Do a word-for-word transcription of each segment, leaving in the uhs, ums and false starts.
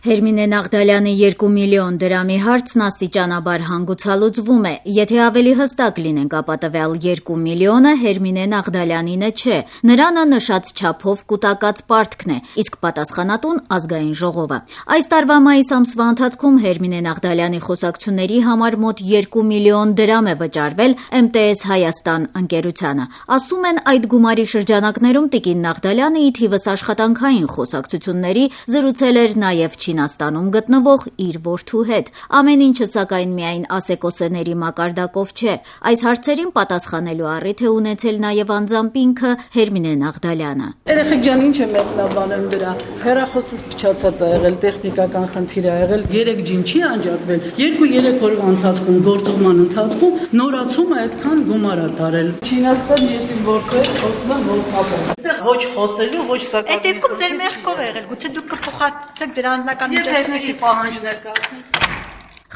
Հերմինե Նաղդալյանի երկու միլիոն դրամի հարցն աստիճանաբար հանգուցալուծվում է, եթե ավելի հստակ լինենք, ապա տվյալ երկու միլիոնը Հերմինե Նաղդալյանինը չէ, նրանը նշած չափով կուտակած պարտքն է, իսկ պատասխանատուն ազգային ժողովը։ Այս տարվա մայիս ամսվա ընթացքում Հերմինե Նաղդալյանի խոսակցությունների համար մոտ երկու միլիոն դրամ է վճարվել Էմ Տե Էս Հայաստան ընկերությանը։ Ասում են, այդ գումարի շրջանակներում տիկին Նաղդալյանը ի թիվս աշխատանքային խոսակցությունների զրուցել էր նաև Չինաստանում գտնվող իր որդու հետ։ Ամեն ինչը սակայն միայն ասեկոսեների մակարդակով չէ։ Այս հարցերին պատասխանելու առիթ է ունեցել նաև անձամբ ինքը Հերմինե Նաղդալյանը։ Երեխեք ջան, ինչ է մեկնաբանել դրա։ Հեռախոսս փչացած է եղել, տեխնիկական խնդիր է եղել, երեք ջին չի անջատվել։ երկու-երեք օրվա ընթացքում գործողման ընթացքում նորացում է այդքան գումար է տարել։ Չինաստան ես իմ որդու խոսում եմ WhatsApp-ով։ Ոչ խոսելու, ոչ սակավ։ Այդ դեպքում ձեր մեղքով է եղել, գուցե դուք կփոխանցեք ձեր անձնական միջոցների պահանջներ կազմեք։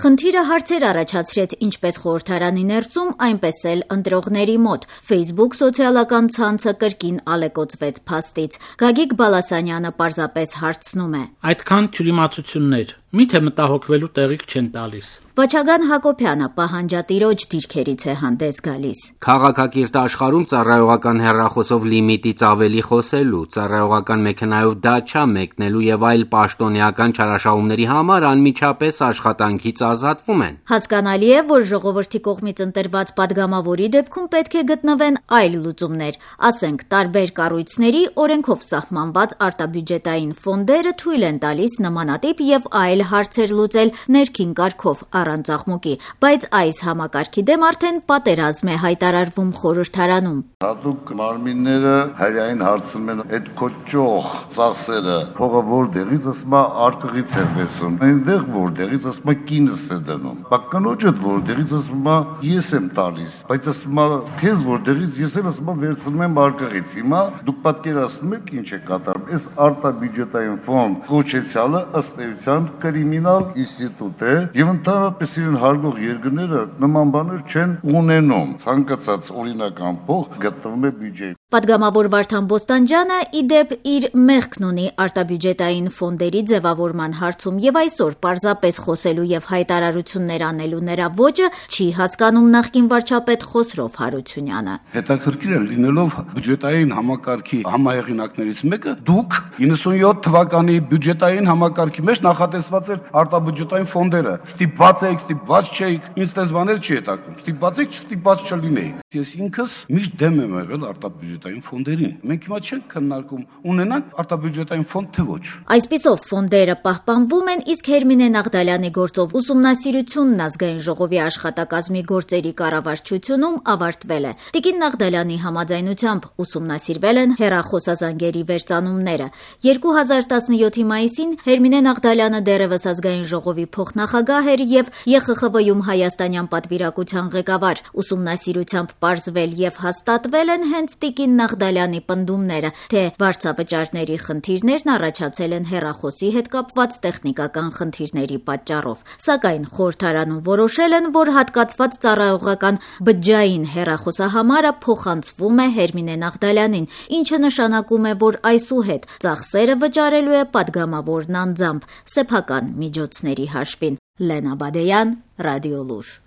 Խնդիրը հարցեր առաջացրեց ինչպես խորհրդարանի ներսում, այնպես էլ ընտրողների մոտ։ Facebook սոցիալական ցանցը կրկին ալեկոծվեց փաստից։ Գագիկ Բալասանյանը պարզապես հարցնում է. Այդքան թյուրիմացություններ, միթե մտահոգվելու տեղիք չեն տալիս։ Վաչագան Հակոբյանը պահանջատիրոջ դիրքերից է հանդես գալիս։ Քաղաքակիրթ աշխարհում ծառայողական հեռախոսով լիմիտից ավելի խոսելու, ծառայողական մեքենայով դաչա մեկնելու եւ այլ պաշտոնեական չարաշահումների համար անմիջապես աշխատանքից ազատվում են։ Հասկանալի է, որ ժողովրդի կողմից ընտրված падգամավորի դեպքում պետք է գտնվեն այլ լուծումներ, ասենք տարբեր կառույցների օրենքով սահմանված արտաբյուջետային ֆոնդերը թույլ են տալիս նմանատիպ եւ այլ հարցեր լուծել ներքին կարգով առանց աղմուկի, բայց այս համակարգի դեմ արդեն պատերազմ է հայտարարվում խորհրդարանում։ Հատուկ մարմինները հրային հարցնում են այդ կոճող ծախսերը, փողը որտեղից ասում է արտղից է վերցնում, այնտեղ որտեղից ասում է կինս է դնում, բակկանոջը որտեղից ասում է ես եմ տալիս, բայց ասում է քեզ որտեղից ես էլ ասում եմ վերցնում եմ արկղից։ Հիմա դուք պատկերացնում եք ինչ է կատարում։ Այս արտաբյուջետային ֆոնդ կոչեցյալը ըստ էության կրիմինալ ինստիտուտ է եւ ընդհանրապես իրեն հարգող երկրները նման բաներ չեն ունենում։ Ցանկացած օրինական փող գտնվում է բյուջեի։ Պատգամավոր Վարդան Բոստանջյանը ի դեպ իր մեղքն ունի արտաբյուջետային ֆոնդերի ձևավորման հարցում եւ այսօր պարզապես խոսելու եւ հայտարարություններ անելու նրա ոճը չի հասկանում նախկին վարչապետ Խոսրով Հարությունյանը։ Հետաքրքիր է լինելով բյուջետային համակարգի համահեղինակներից մեկը, դուք իննսունյոթ թվականի բյուջետային համակարգի մեջ նախատեսված էր արտաբյուջետային ֆոնդերը։ Ստիպված եք, ստիպված չէիք, ինձ դες բաներ չի հետաքրքրում։ Ստիպված եք, չստիպված չլինեիք։ Ես ինքս միշտ դեմ եմ եղել արտաբյուջետային ֆոնդերին։ Մենք հիմա չենք քննարկում ունենանք արտաբյուջետային ֆոնդ թե ոչ։ Այսպիսով ֆոնդերը պահպանվում են, իսկ Հերմինե Նաղդալյանի գործով ուսումնասիրությունն ազգային ժողովի աշխատակազմի գործերի կառավարչությունում ավարտվել է։ Տիկին Նաղդալյանի համաձայնությամբ ուսումնասիրվել են հեռախոսազանգերի վերծանումները։ երկու հազար տասնյոթի մայիսին Հերմինե Նաղդալյանը դեռևս ազգային ժողովի փոխնախագահ էր եւ Ե Խ Խ Վ-ում հայաստանյան պատվիրակության ղեկավար։ Ուսումնասիրությամբ պարզվել եւ հաստատվել են հենց տիկին Նաղդալյանի պնդումները, թե վարձավճարների խնդիրներն առաջացել են հեռախոսի հետ կապված տեխնիկական խնդիրների պատճառով։ Սակայն խորհրդարանում որոշել են, որ հատկացված ծառայողական բջջային հեռախոսահամարը փոխանցվում է Հերմինե Նաղդալյանին, ինչը նշանակում է, որ այսուհետ ծախսերը վճարելու է падգամավորն անձամբ սեփական միջոցների հաշվին։ Լենա Բադեյան, Ռադիոլուր։